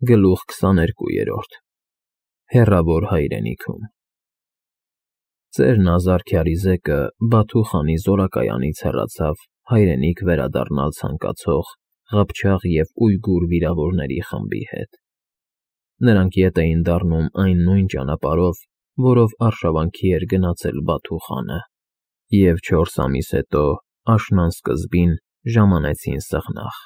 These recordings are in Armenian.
Գլուխ 22 Հեռավոր հայրենիքում Ծերն Ազարքյարիզեկը Բաթու խանի զորակայանից հեռացավ հայրենիք վերադառնալ ցանկացող ղփչաղ և ույգուր վիրավորների խմբի հետ։ Նրանք ետ էին դառնում այն նույն ճանապարհով, որով արշավանքի էր գնացել Բաթու խանը, և 4 ամիս հետո, աշնան սկզբին, ժամանեցին սեղնաղ։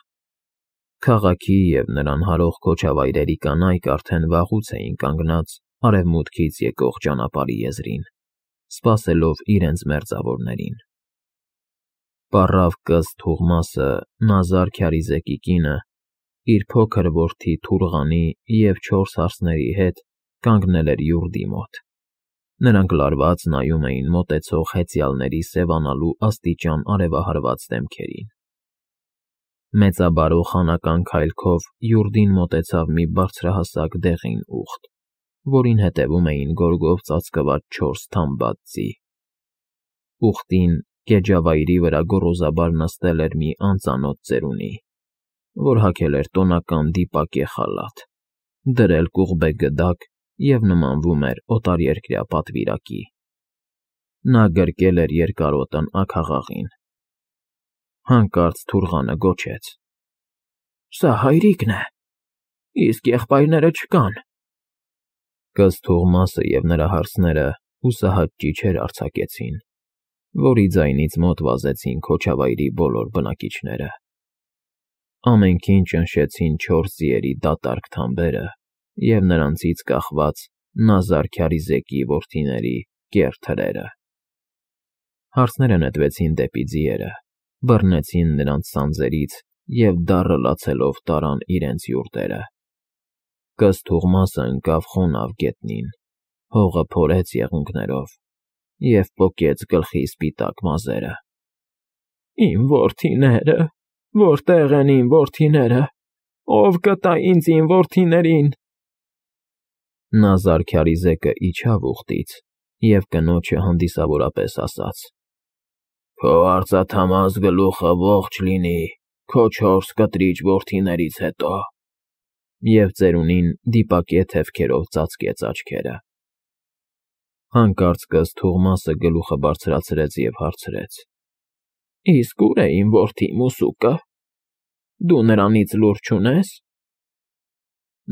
Քաղաքի և նրան հարող քոչավայրերի կանայք արդեն վաղուց էին կանգնած արևմուտքից եկող ճանապարհի եզրին, սպասելով իրենց մերձավորներին։ Պառավ կըզտ Թուղմասը Նազար Քյարիզեկի կինը, իր փոքր որդի Թուրղանի և 4 հարսների հետ կանգնել էր յուրդի մոտ։ Նրանք լարված նայում էին մոտեցող հեծյալների սևանալու աստիճան արևահարված դեմքերին։ Մեծաբարո խանական քայլքով յուրդին մոտեցավ մի բարձրահասակ դեղին ուղտ, որին հետևում էին գորգով ծածկված 4 թամբած ձի։ Ուղտին գեջավայրի վրա գոռոզաբար նստել էր մի անծանոթ ծերունի, որ հագել էր տոնական դիպակե խալաթ, դրել կուղբե գդակ և նմանվում էր օտարերկրյա պատվիրակի։ Նա գրկել էր երկարոտն աքաղաղին։ Հանկարծ Թուրղանը գոչեց. «Սա հայրիկն է, իսկ եղբայրները չկան»։ Կըզտ Թուղմասը և նրա հարսները հուսահատ ճիչեր արձակեցին, որի ձայնից մոտ վազեցին քոչավայրի բոլոր բնակիչները։ Ամենքին ճնշեցին 4 ձիերի դատարկ թամբերը և նրանցից կախված Նազար Քյարիզեկի որդիների կեռ թրերը։ Հարսները նետվեցին դեպի ձիերը, բռնեցին նրանց սանձերից և դառը լացելով տարան իրենց յուրտերը։ Կըզտ Թուղմասը ընկավ խոնավ գետնին, հողը փորեց եղունգներով և պոկեց գլխի սպիտակ մազերը։ «Իմ որդիները, որտե՞ղ են իմ որդիները, ով կտա ինձ իմ որդիներին»։ Նազար Քյարիզեկը իջավ ուղտից և կնոջը հանդիսավորապես ասաց. «Քո արծաթամաս գլուխը ողջ լինի քո 4 կտրիչ որդիներից հետո»։ Եվ ծերունին դիպակե թևքերով ծածկեց աչքերը։ Հանկարծ կըզտ Թուղմասը գլուխը բարձրացրեց և հարցրեց. «Իսկ ո՞ւր է իմ որդի Մուսուկը, դու նրանից լուր չունե՞ս»։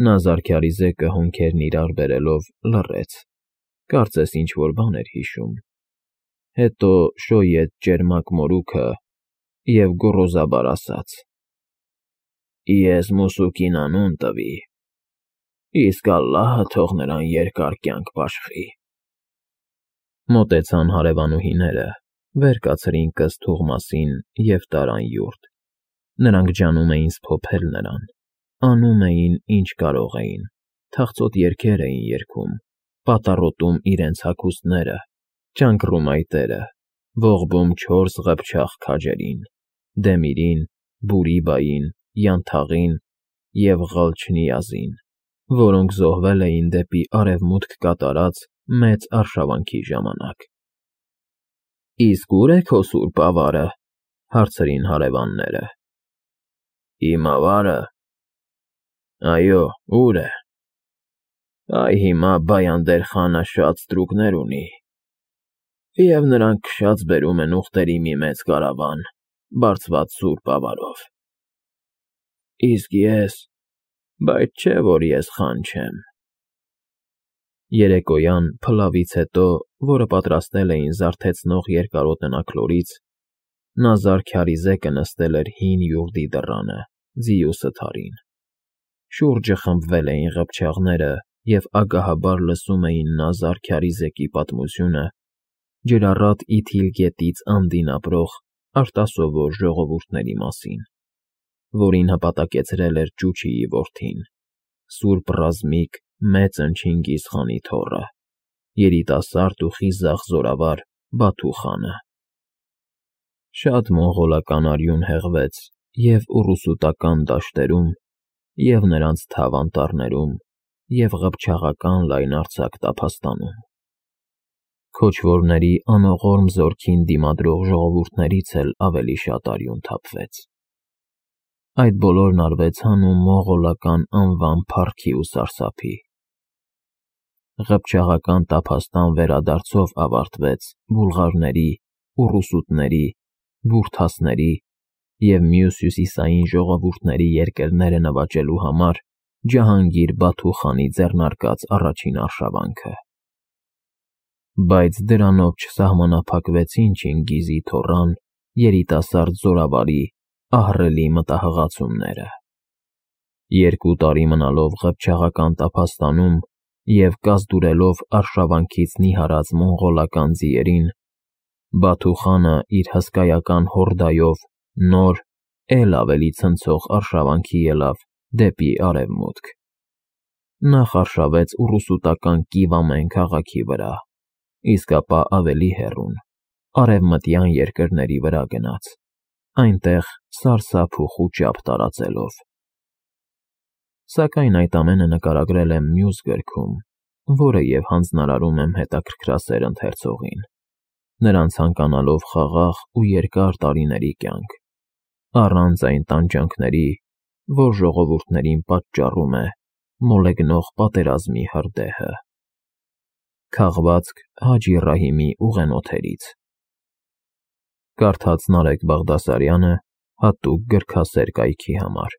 Նազար Քյարիզեկը հոնքերն իրար բերելով լռեց, կարծես ինչ֊որ բան էր հիշում, հետո շոյեց ճերմակ մորուքը և գոռոզաբար ասաց. «Ես Մուսուկին անուն տվի, իսկ Ալլահը թող նրան երկար կյանք բաշխի»։ Մոտեցան հարևանուհիները, վեր կացրին կըզտ Թուղմասին և տարան յուրտ։ Նրանք ջանում էին սփոփել նրան, անում էին, ինչ կարող էին, թախծոտ երգեր էին երգում, պատառոտում իրենց հագուստները, ճանկռում այտերը, ողբում 4 ղփչաղ քաջերին՝ Դեմիրին, Բուրի֊բային, Յանթաղին և Ղալչնիազին, որոնք զոհվել էին դեպի արևմուտք կատարած մեծ արշավանքի ժամանակ։ «Իսկ ո՞ւր է քո սուրբ ավարը»։ Հարցրին հարևանները։ «Իմ ավա՞րը։ Այո, ո՞ւր է։ Այ հիմա Բայանդեր խանը շատ ստրուկներ ունի, և նրանք քշած բերում են ուղտերի մի մեծ կարավան, բարձված սուրբ ավարով։ Բայց չէ, որ ես խան չեմ»։ Երեկոյան փլավից հետո, որը պատրաստել էին զարթեցնող երկարոտն աքլորից, Նազար Քյարիզեկը նստել էր հին յուրդի դռանը, ձիու սթարին։ Շուրջը խմբվել էին ղփչաղները և ագահաբար լսում էին Նազար Քյարիզեկի պատմությունը ջրառատ Իթիլ գետից անդին ապրող արտասովոր ժողովուրդների մասին, որին հպատակեցրել էր Ճուչիի որդին, սուրբ ռազմիկ Մեծն Չինգիզ խանի թոռը, երիտասարդ ու խիզախ զորավար Բաթու խանը։ Շատ մոնղոլական արյուն հեղվեց և՛ ուռուսուտական դաշտերում, և՛ նրանց թավ անտառներում, և ղփչաղական լայնարձակ տափաստանում։ Քոչվորների անողորմ զորքին դիմադրող ժողովուրդներից էլ ավելի շատ արյուն թափվեց։ Այդ բոլորն արվեցան ու մողոլական անվան փառքի ու սարսափի։ Ղփչաղական տափաստան վերադարձով ավարտվեց բուլղարների, ուռուսուտների, բուրթասների և մյուս հյուսիսային ժողովուրդների երկրները նվաճելու համար Ջահանգիր Բաթու խանի ձեռնարկած առաջին արշավանքը։ Բայց դրանով չսահմանափակվեցին Չինգիզի թոռան երիտասարդ զորավարի ահռելի մտահղացումները։ 2 տարի մնալով ղփչաղական տափաստանում և կազդուրելով արշավանքից նիհարած մոնղոլական ձիերին, Բաթու խանը իր հսկայական հորդայով նոր, էլ ավելի ցնցող արշավանքի ելավ դեպի արևմուտք։ Նախ արշավեց ուռուսուտական Կիվամեն քաղաքի վրա, իսկ ապա ավելի հեռուն, արևմտյան երկրների վրա գնաց, այնտեղ սարսափ ու խուճապ տարածելով։ Սակայն այդ ամենը նկարագրել եմ մյուս գրքում, որը և հանձնարարում եմ հետաքրքրասեր ընթերցողին, նրան ցանկանալով խաղաղ ու երկար տարիների կյանք, առանց այն տանջանքների, որ ժողովուրդներին պատճառում է մոլեգնող պատերազմի հրդեհը։ Քաղվածք Հաջի Ռահիմի ուղենոթերից։ Կարդաց Նարեկ Բաղդասարյանը հատուկ գրքասեր կայքի համար։